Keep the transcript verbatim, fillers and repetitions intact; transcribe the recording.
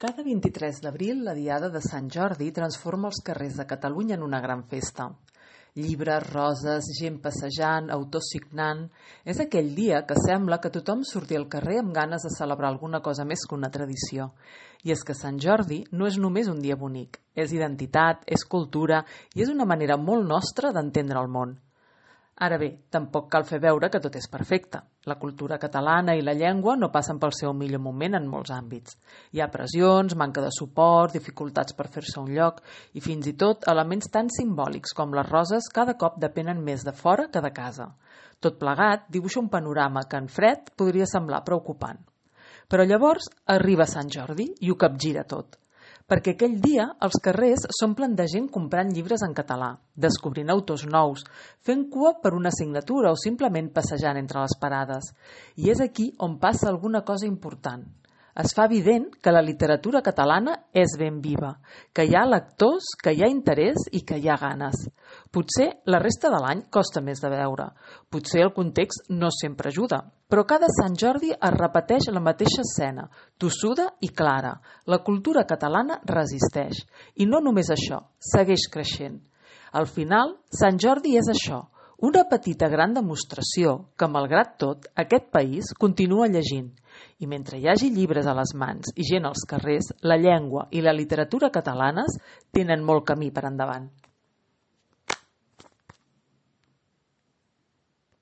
Cada vint-i-tres d'abril, la diada de Sant Jordi transforma els carrers de Catalunya en una gran festa. Llibres, roses, gent passejant, autors signant... És aquell dia que sembla que tothom surti al carrer amb ganes de celebrar alguna cosa més que una tradició. I és que Sant Jordi no és només un dia bonic, és identitat, és cultura i és una manera molt nostra d'entendre el món. Ara bé, tampoc cal fer veure que tot és perfecte. La cultura catalana i la llengua no passen pel seu millor moment en molts àmbits. Hi ha pressions, manca de suport, dificultats per fer-se un lloc i fins i tot elements tan simbòlics com les roses cada cop depenen més de fora que de casa. Tot plegat dibuixa un panorama que en fred podria semblar preocupant. Però llavors arriba Sant Jordi i ho capgira tot. Perquè aquell dia els carrers s'omplen de gent comprant llibres en català, descobrint autors nous, fent cua per una assignatura o simplement passejant entre les parades. I és aquí on passa alguna cosa important. Es fa evident que la literatura catalana és ben viva, que hi ha lectors, que hi ha interès i que hi ha ganes. Potser la resta de l'any costa més de veure, potser el context no sempre ajuda, però cada Sant Jordi es repeteix la mateixa escena, tossuda i clara. La cultura catalana resisteix. I no només això, segueix creixent. Al final, Sant Jordi és això, una petita gran demostració que, malgrat tot, aquest país continua llegint. I mentre hi hagi llibres a les mans i gent als carrers, la llengua i la literatura catalanes tenen molt camí per endavant.